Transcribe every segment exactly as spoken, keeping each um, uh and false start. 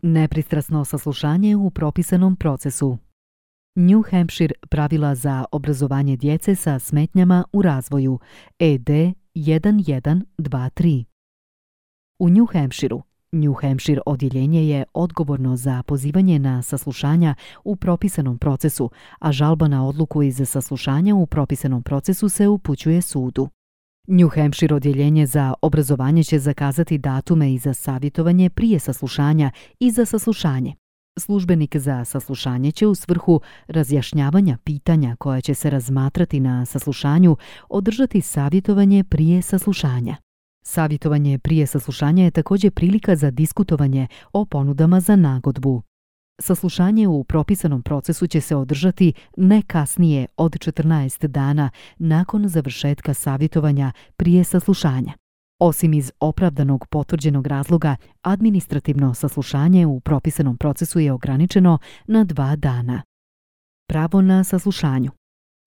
Nepristrasno saslušanje u propisanom procesu. New Hampshire pravila za obrazovanje djece sa smetnjama u razvoju E D jedan jedan dva tri. U New Hampshireu New Hampshire odjeljenje je odgovorno za pozivanje na saslušanja u propisanom procesu, a žalba na odluku iz saslušanja u propisanom procesu se upućuje sudu. New Hampshire odjeljenje za obrazovanje će zakazati datume i za savjetovanje prije saslušanja i za saslušanje. Službenik za saslušanje će u svrhu razjašnjavanja pitanja koja će se razmatrati na saslušanju održati savjetovanje prije saslušanja. Savjetovanje prije saslušanja je također prilika za diskutovanje o ponudama za nagodbu. Saslušanje u propisanom procesu će se održati ne kasnije od četrnaest dana nakon završetka savjetovanja prije saslušanja. Osim iz opravdanog potvrđenog razloga, administrativno saslušanje u propisanom procesu je ograničeno na dva dana. Pravo na saslušanju.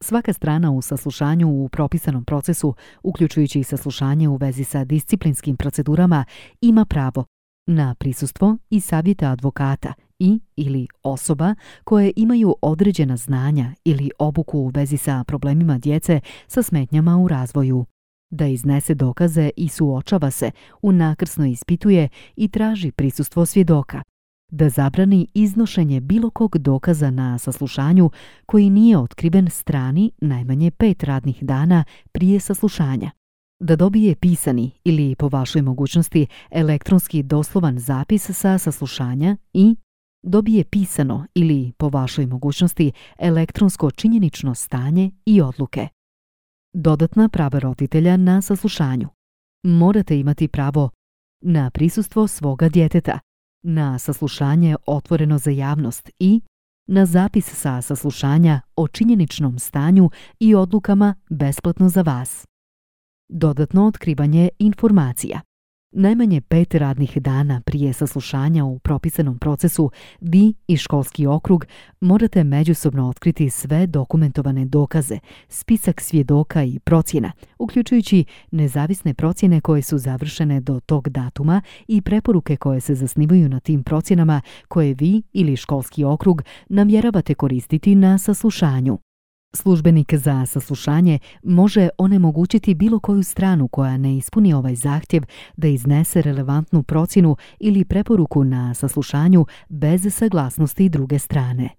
Svaka strana u saslušanju u propisanom procesu, uključujući i saslušanje u vezi sa disciplinskim procedurama, ima pravo na prisustvo i savjeta advokata i ili osoba koje imaju određena znanja ili obuku u vezi sa problemima djece sa smetnjama u razvoju, da iznese dokaze i suočava se, unakrsno ispituje i traži prisustvo svjedoka, da zabrani iznošenje bilo kog dokaza na saslušanju koji nije otkriven strani najmanje pet radnih dana prije saslušanja, da dobije pisani ili, po vašoj mogućnosti, elektronski doslovan zapis sa saslušanja i dobije pisano ili, po vašoj mogućnosti, elektronsko činjenično stanje i odluke. Dodatna prava roditelja na saslušanju. Morate imati pravo na prisustvo svoga djeteta, na saslušanje otvoreno za javnost i na zapis sa saslušanja o činjeničnom stanju i odlukama besplatno za vas. Dodatno otkrivanje informacija. Najmanje pet radnih dana prije saslušanja u propisanom procesu vi i školski okrug morate međusobno otkriti sve dokumentovane dokaze, spisak svjedoka i procjena, uključujući nezavisne procjene koje su završene do tog datuma i preporuke koje se zasnivaju na tim procjenama koje vi ili školski okrug namjeravate koristiti na saslušanju. Službenik za saslušanje može onemogućiti bilo koju stranu koja ne ispuni ovaj zahtjev da iznese relevantnu procjenu ili preporuku na saslušanju bez saglasnosti druge strane.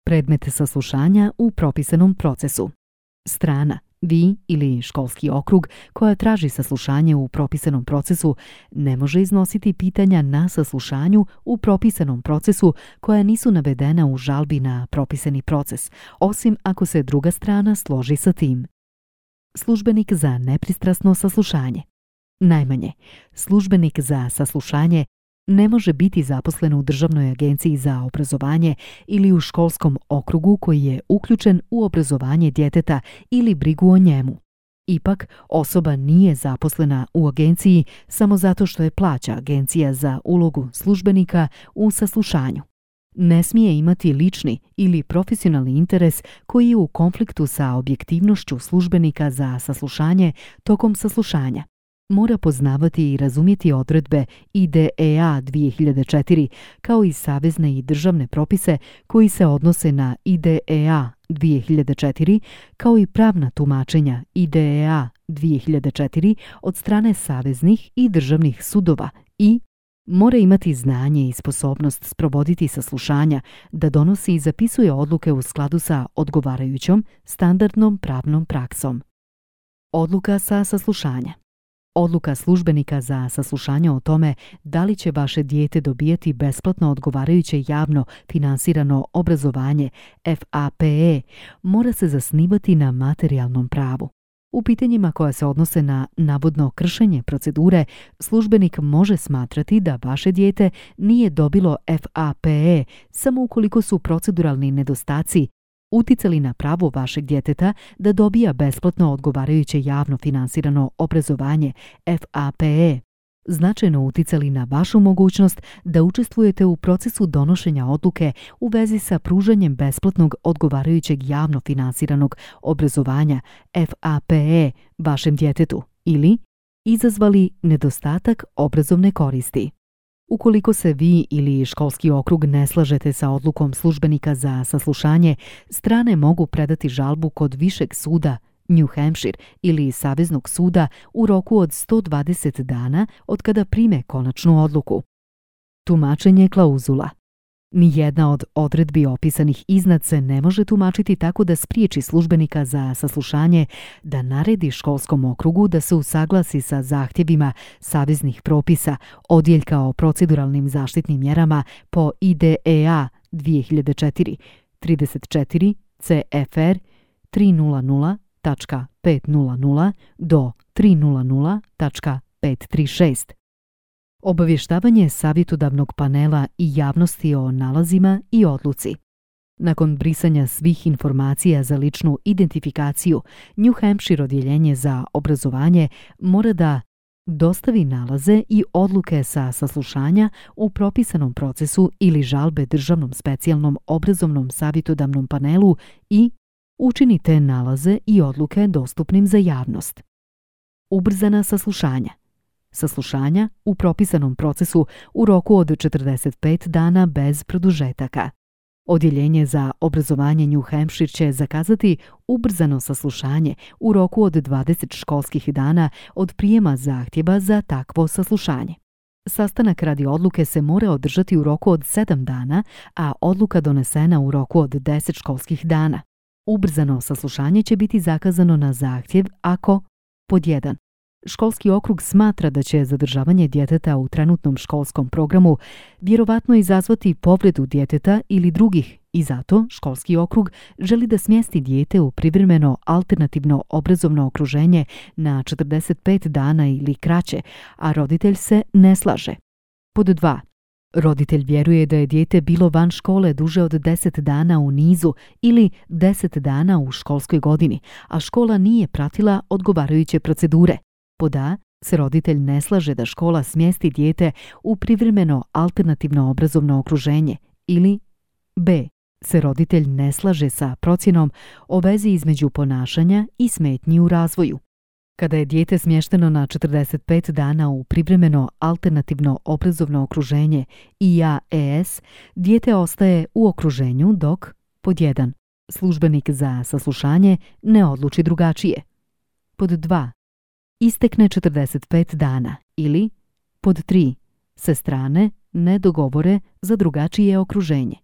Predmet saslušanja u propisanom procesu. Strana, vi ili školski okrug koja traži saslušanje u propisanom procesu ne može iznositi pitanja na saslušanju u propisanom procesu koja nisu navedena u žalbi na propisani proces, osim ako se druga strana složi sa tim. Službenik za nepristrasno saslušanje. Najmanje, službenik za saslušanje ne može biti zaposlen u Državnoj agenciji za obrazovanje ili u školskom okrugu koji je uključen u obrazovanje djeteta ili brigu o njemu. Ipak, osoba nije zaposlena u agenciji samo zato što je plaća agencija za ulogu službenika u saslušanju. Ne smije imati lični ili profesionalni interes koji je u konfliktu sa objektivnošću službenika za saslušanje tokom saslušanja. Mora poznavati i razumjeti odredbe I D E A dvije hiljade četiri kao i savezne i državne propise koji se odnose na I D E A dvije hiljade četiri kao i pravna tumačenja I D E A dvije hiljade četiri od strane saveznih i državnih sudova i mora imati znanje i sposobnost sprovoditi saslušanja, da donosi i zapisuje odluke u skladu sa odgovarajućom standardnom pravnom praksom. Odluka sa saslušanja. Odluka službenika za saslušanje o tome da li će vaše dijete dobijeti besplatno odgovarajuće javno finansirano obrazovanje F A P E mora se zasnivati na materijalnom pravu. U pitanjima koja se odnose na navodno kršenje procedure, službenik može smatrati da vaše dijete nije dobilo F A P E samo ukoliko su proceduralni nedostaci uticali na pravo vašeg djeteta da dobija besplatno odgovarajuće javno finansirano obrazovanje F A P E, značajno uticali na vašu mogućnost da učestvujete u procesu donošenja odluke u vezi sa pružanjem besplatnog odgovarajućeg javno finansiranog obrazovanja F A P E vašem djetetu ili izazvali nedostatak obrazovne koristi. Ukoliko se vi ili školski okrug ne slažete sa odlukom službenika za saslušanje, strane mogu predati žalbu kod Višeg suda New Hampshire ili Saveznog suda u roku od sto dvadeset dana od kada prime konačnu odluku. Tumačenje klauzula. Nijedna od odredbi opisanih iznad se ne može tumačiti tako da spriječi službenika za saslušanje da naredi školskom okrugu da se usaglasi sa zahtjevima saveznih propisa, odjeljka o proceduralnim zaštitnim mjerama po I D E A dvije hiljade četiri trideset četiri C F R tristo tačka petsto do tristo tačka petsto trideset šest. Obavještavanje savjetodavnog panela i javnosti o nalazima i odluci. Nakon brisanja svih informacija za ličnu identifikaciju, New Hampshire odjeljenje za obrazovanje mora da dostavi nalaze i odluke sa saslušanja u propisanom procesu ili žalbe Državnom specijalnom obrazovnom savjetodavnom panelu i učini te nalaze i odluke dostupnim za javnost. Ubrzana saslušanja. Saslušanja u propisanom procesu u roku od četrdeset pet dana bez produžetaka. Odjeljenje za obrazovanje New Hampshire će zakazati ubrzano saslušanje u roku od dvadeset školskih dana od prijema zahtjeva za takvo saslušanje. Sastanak radi odluke se mora održati u roku od sedam dana, a odluka donesena u roku od deset školskih dana. Ubrzano saslušanje će biti zakazano na zahtjev ako pod jedan. Školski okrug smatra da će zadržavanje djeteta u trenutnom školskom programu vjerovatno izazvati povredu djeteta ili drugih i zato školski okrug želi da smjesti dijete u privremeno alternativno obrazovno okruženje na četrdeset pet dana ili kraće, a roditelj se ne slaže. Pod dva. Roditelj vjeruje da je dijete bilo van škole duže od deset dana u nizu ili deset dana u školskoj godini, a škola nije pratila odgovarajuće procedure. Pod A se roditelj ne slaže da škola smjesti dijete u privremeno alternativno obrazovno okruženje ili B se roditelj ne slaže sa procjenom o vezi između ponašanja i smetnji u razvoju. Kada je dijete smješteno na četrdeset pet dana u privremeno alternativno obrazovno okruženje I A E S, dijete ostaje u okruženju dok pod jedan službenik za saslušanje ne odluči drugačije. Pod dva istekne četrdeset pet dana ili pod tri se strane ne dogovore za drugačije okruženje.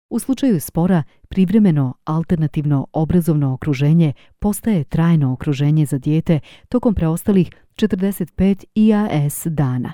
U slučaju spora, privremeno alternativno obrazovno okruženje postaje trajno okruženje za dijete tokom preostalih četrdeset pet I A S dana.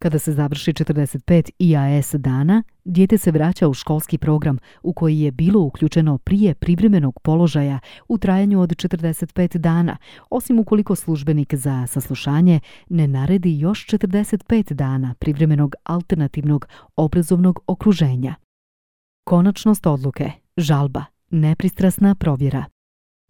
Kada se završi četrdeset pet I A S dana, dijete se vraća u školski program u koji je bilo uključeno prije privremenog položaja u trajanju od četrdeset pet dana, osim ukoliko službenik za saslušanje ne naredi još četrdeset pet dana privremenog alternativnog obrazovnog okruženja. Konačnost odluke, žalba, nepristrasna provjera.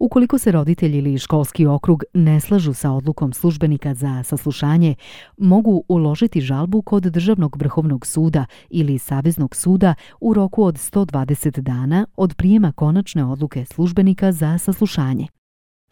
Ukoliko se roditelj ili školski okrug ne slažu sa odlukom službenika za saslušanje, mogu uložiti žalbu kod Državnog vrhovnog suda ili Saveznog suda u roku od sto dvadeset dana od prijema konačne odluke službenika za saslušanje.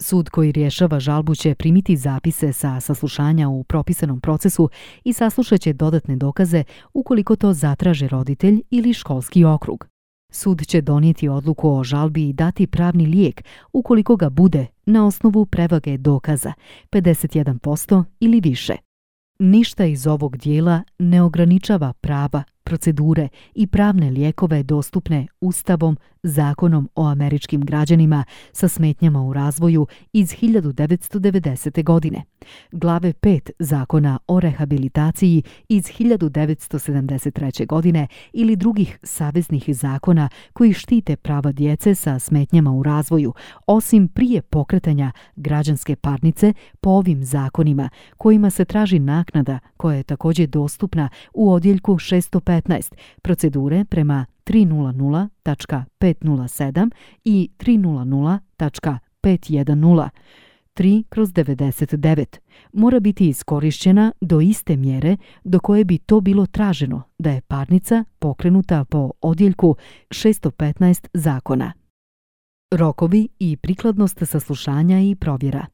Sud koji rješava žalbu će primiti zapise sa saslušanja u propisanom procesu i saslušat će dodatne dokaze ukoliko to zatraže roditelj ili školski okrug. Sud će donijeti odluku o žalbi i dati pravni lijek ukoliko ga bude na osnovu prevage dokaza, pedeset jedan posto ili više. Ništa iz ovog dijela ne ograničava prava, procedure i pravne lijekove dostupne Ustavom, Zakonom o američkim građanima sa smetnjama u razvoju iz hiljadu devetsto devedesete. godine, glave pet Zakona o rehabilitaciji iz hiljadu devetsto sedamdeset treće. godine ili drugih saveznih zakona koji štite prava djece sa smetnjama u razvoju, osim prije pokretanja građanske parnice po ovim zakonima kojima se traži naknada koja je također dostupna u odjeljku šesto petnaest procedure prema tristo tačka petsto sedam i tristo tačka petsto deset tri kroz devedeset devet mora biti iskorišćena do iste mjere do koje bi to bilo traženo da je parnica pokrenuta po odjeljku šesto petnaest zakona. Rokovi i prikladnost saslušanja i provjera.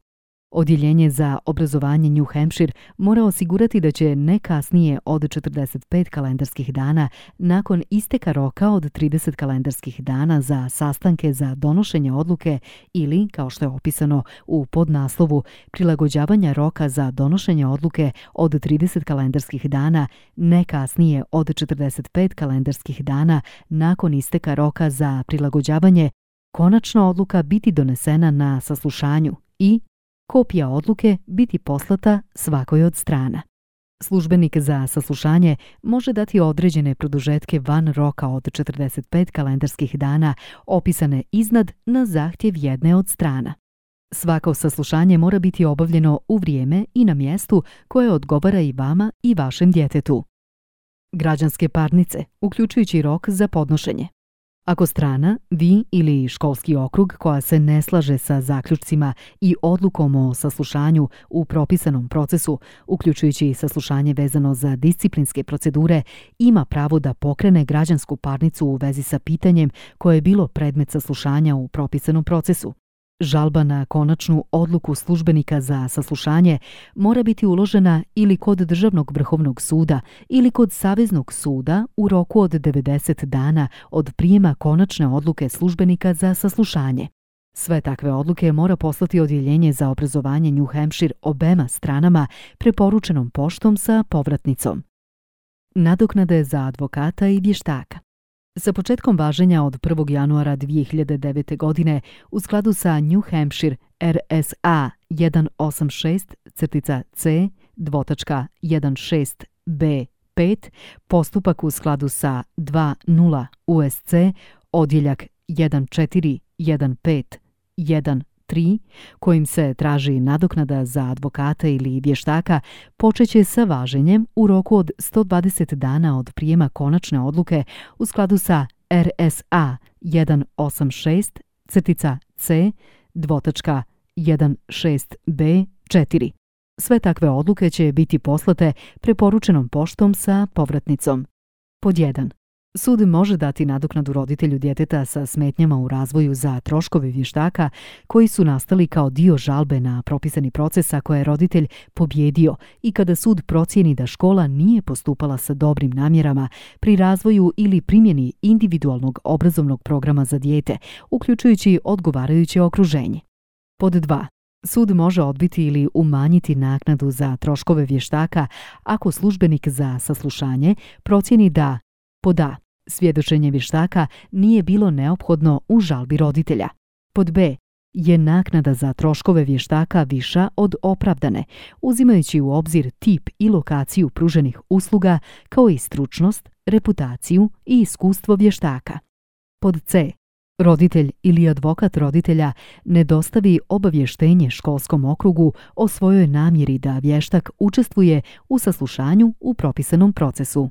Odjeljenje za obrazovanje New Hampshire mora osigurati da će ne kasnije od četrdeset pet kalendarskih dana nakon isteka roka od trideset kalendarskih dana za sastanke za donošenje odluke ili, kao što je opisano u podnaslovu, prilagođavanja roka za donošenje odluke od trideset kalendarskih dana ne kasnije od četrdeset pet kalendarskih dana nakon isteka roka za prilagođavanje, konačna odluka biti donesena na saslušanju i kopija odluke biti poslata svakoj od strana. Službenik za saslušanje može dati određene produžetke van roka od četrdeset pet kalendarskih dana opisane iznad na zahtjev jedne od strana. Svako saslušanje mora biti obavljeno u vrijeme i na mjestu koje odgovara i vama i vašem djetetu. Građanske parnice, uključujući rok za podnošenje. Ako strana, vi ili školski okrug koja se ne slaže sa zaključcima i odlukom o saslušanju u propisanom procesu, uključujući saslušanje vezano za disciplinske procedure, ima pravo da pokrene građansku parnicu u vezi sa pitanjem koje je bilo predmet saslušanja u propisanom procesu. Žalba na konačnu odluku službenika za saslušanje mora biti uložena ili kod Državnog vrhovnog suda ili kod Saveznog suda u roku od devedeset dana od prijema konačne odluke službenika za saslušanje. Sve takve odluke mora poslati Odjeljenje za obrazovanje New Hampshire obema stranama preporučenom poštom sa povratnicom. Nadoknade za advokata i vještaka. Sa početkom važenja od prvog januara dvije hiljade devete. godine u skladu sa New Hampshire R S A jedan osam šest C jedan šest B pet, postupak u skladu sa dvadeset U S C odjeljak jedan četiri jedan pet jedan tri, kojim se traži nadoknada za advokata ili vještaka, počeće sa važenjem u roku od sto dvadeset dana od prijema konačne odluke u skladu sa R S A jedan osam šest C jedan šest B četiri. Sve takve odluke će biti poslate preporučenom poštom sa povratnicom. Pod jedan. Sud može dati nadoknadu roditelju djeteta sa smetnjama u razvoju za troškove vještaka koji su nastali kao dio žalbe na propisani proces ako je roditelj pobjedio i kada sud procijeni da škola nije postupala sa dobrim namjerama pri razvoju ili primjeni individualnog obrazovnog programa za dijete, uključujući odgovarajuće okruženje. Pod dva. Sud može odbiti ili umanjiti naknadu za troškove vještaka ako službenik za saslušanje procijeni da pod A. Svjedočenje vještaka nije bilo neophodno u žalbi roditelja. Pod B. Je naknada za troškove vještaka viša od opravdane, uzimajući u obzir tip i lokaciju pruženih usluga, kao i stručnost, reputaciju i iskustvo vještaka. Pod C. Roditelj ili advokat roditelja ne dostavi obavještenje školskom okrugu o svojoj namjeri da vještak učestvuje u saslušanju u propisanom procesu.